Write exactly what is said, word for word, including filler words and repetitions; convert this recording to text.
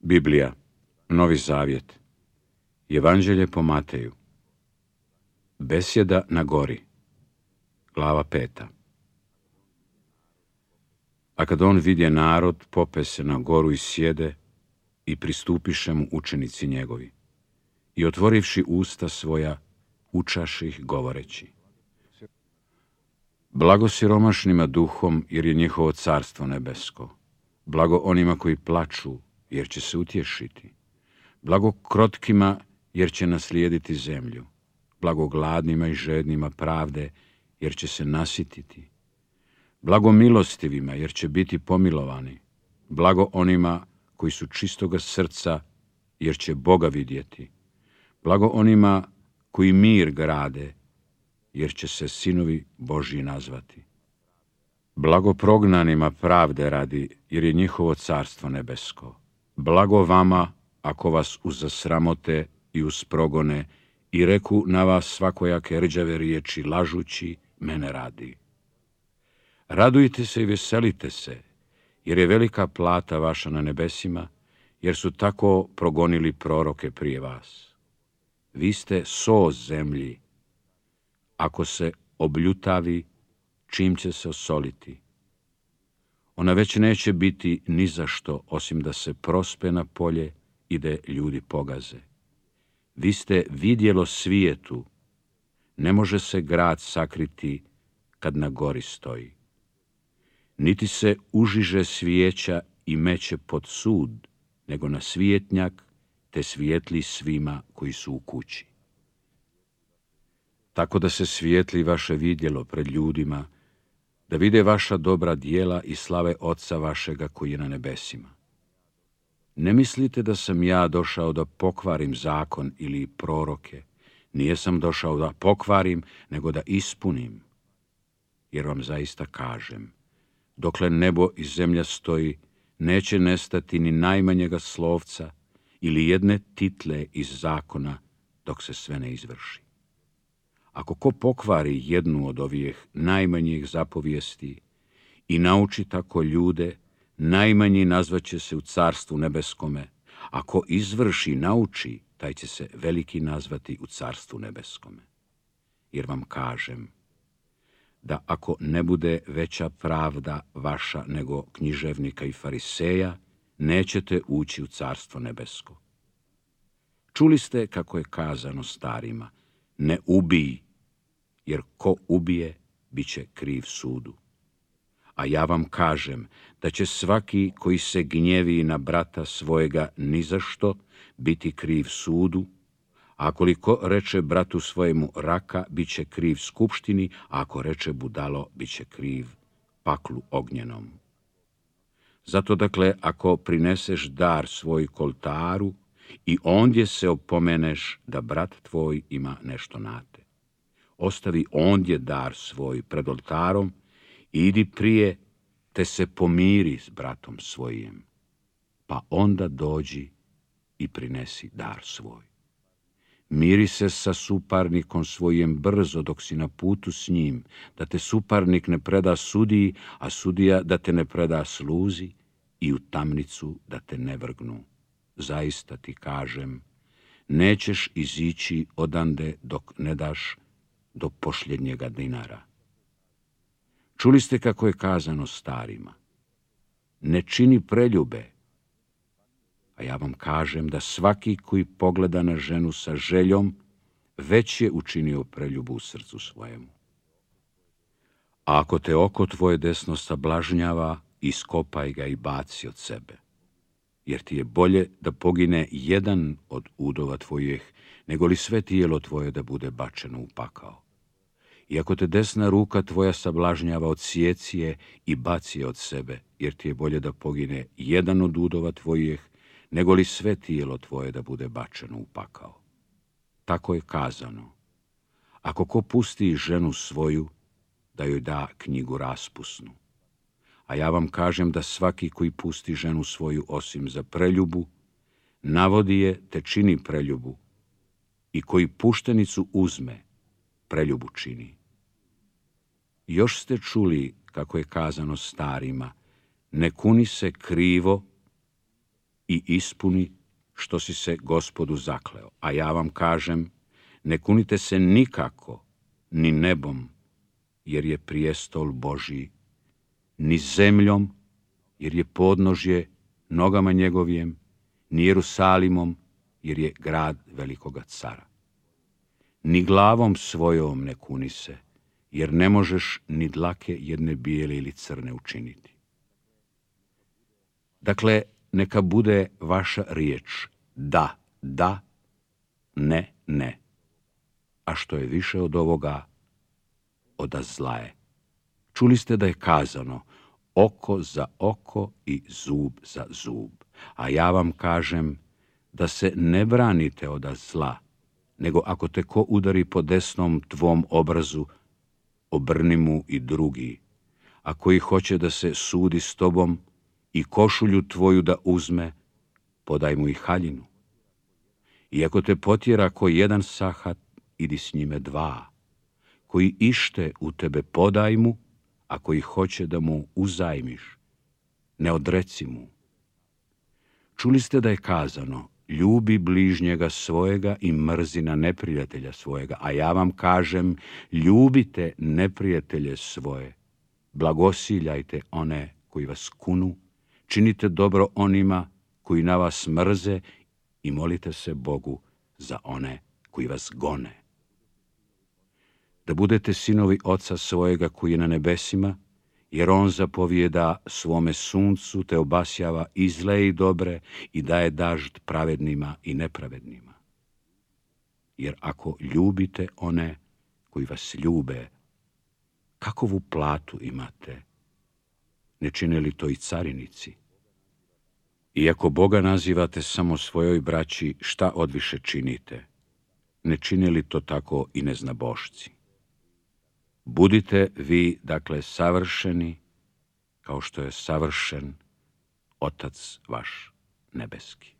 Biblija, Novi Zavjet, Evanđelje po Mateju, Besjeda na gori, glava peta. A kad on vidje narod, pope se na goru i sjede, i pristupiše mu učenici njegovi, i otvorivši usta svoja, učaše ih govoreći: Blago siromašnima duhom, jer je njihovo carstvo nebesko. Blago onima koji plaču, jer će se utješiti. Blago krotkima, jer će naslijediti zemlju. Blago gladnima i žednima pravde, jer će se nasititi. Blago milostivima, jer će biti pomilovani. Blago onima koji su čistoga srca, jer će Boga vidjeti. Blago onima koji mir grade, jer će se sinovi Božji nazvati. Blago prognanima pravde radi, jer je njihovo carstvo nebesko. Blago vama, ako vas uzasramote i usprogone i reku na vas svakojake rđave riječi, lažući, mene radi. Radujte se i veselite se, jer je velika plata vaša na nebesima, jer su tako progonili proroke prije vas. Vi ste so zemlji. Ako se obljutavi, čim će se osoliti? Ona već neće biti ni za što, osim da se prospe na polje i da ljudi pogaze. Vi ste vidjelo svijetu. Ne može se grad sakriti kad na gori stoji. Niti se užiže svijeća i meće pod sud, nego na svijetnjak, te svijetli svima koji su u kući. Tako da se svijetli vaše vidjelo pred ljudima, da vide vaša dobra djela i slave Oca vašega koji je na nebesima. Ne mislite da sam ja došao da pokvarim zakon ili proroke. Nije sam došao da pokvarim, nego da ispunim. Jer vam zaista kažem, dokle nebo i zemlja stoji, neće nestati ni najmanjega slovca ili jedne title iz zakona dok se sve ne izvrši. Ako ko pokvari jednu od ovih najmanjih zapovijesti i nauči tako ljude, najmanji nazvaće se u carstvu nebeskome. Ako izvrši, nauči, taj će se veliki nazvati u carstvu nebeskome. Jer vam kažem da ako ne bude veća pravda vaša nego književnika i fariseja, nećete ući u carstvo nebesko. Čuli ste kako je kazano starima: ne ubij, jer ko ubije, bit će kriv sudu. A ja vam kažem da će svaki koji se gnjevi na brata svojega nizašto biti kriv sudu, a koliko reče bratu svojemu raka, bit će kriv skupštini, a ako reče budalo, bit će kriv paklu ognjenom. Zato dakle, ako prineseš dar svoj koltaru i ondje se opomeneš da brat tvoj ima nešto na te, ostavi ondje dar svoj pred oltarom i idi prije te se pomiri s bratom svojim, pa onda dođi i prinesi dar svoj. Miri se sa suparnikom svojim brzo dok si na putu s njim, da te suparnik ne preda sudiji, a sudija da te ne preda sluzi i u tamnicu da te ne vrgnu. Zaista ti kažem, nećeš izići odande dok ne daš do posljednjega dinara. Čuli ste kako je kazano starima: ne čini preljube. A ja vam kažem da svaki koji pogleda na ženu sa željom, već je učinio preljubu u srcu svojemu. A ako te oko tvoje desno sablažnjava, iskopaj ga i baci od sebe. Jer ti je bolje da pogine jedan od udova tvojih, nego li sve tijelo tvoje da bude bačeno u pakao. I ako te desna ruka tvoja sablažnjava, odsjeci je i baci je od sebe, jer ti je bolje da pogine jedan od udova tvojih, nego li sve tijelo tvoje da bude bačeno u pakao. Tako je kazano: ako ko pusti ženu svoju, da joj da knjigu raspusnu. A ja vam kažem da svaki koji pusti ženu svoju osim za preljubu, navodi je te čini preljubu, i koji puštenicu uzme, preljubu čini. Još ste čuli kako je kazano starima: ne kuni se krivo, i ispuni što si se Gospodu zakleo. A ja vam kažem, ne kunite se nikako, ni nebom, jer je prijestol Božji, ni zemljom, jer je podnožje nogama njegovijem, ni Jerusalimom, jer je grad velikoga cara. Ni glavom svojom ne kuni se, jer ne možeš ni dlake jedne bijele ili crne učiniti. Dakle, neka bude vaša riječ da, da, ne, ne. A što je više od ovoga, oda zla je. Čuli ste da je kazano oko za oko i zub za zub. A ja vam kažem da se ne branite oda zla, nego ako te ko udari po desnom tvom obrazu, obrni mu i drugi. A koji hoće da se sudi s tobom i košulju tvoju da uzme, podaj mu i haljinu. I ako te potjera ko jedan sahat, idi s njime dva. Koji ište u tebe, podaj mu, a koji hoće da mu uzajmiš, ne odreci mu. Čuli ste da je kazano, ljubi bližnjega svojega i mrzi na neprijatelja svojega, a ja vam kažem, ljubite neprijatelje svoje, blagosiljajte one koji vas kunu, činite dobro onima koji na vas mrze i molite se Bogu za one koji vas gone. Da budete sinovi Oca svojega koji je na nebesima, jer on zapovijeda svome suncu te obasjava i zle i dobre i daje dažd pravednima i nepravednima. Jer ako ljubite one koji vas ljube, kakovu platu imate? Ne čine li to i carinici? I ako Boga nazivate samo svojoj braći, šta odviše činite? Ne čine li to tako i neznabošci? Budite vi, dakle, savršeni, kao što je savršen Otac vaš nebeski.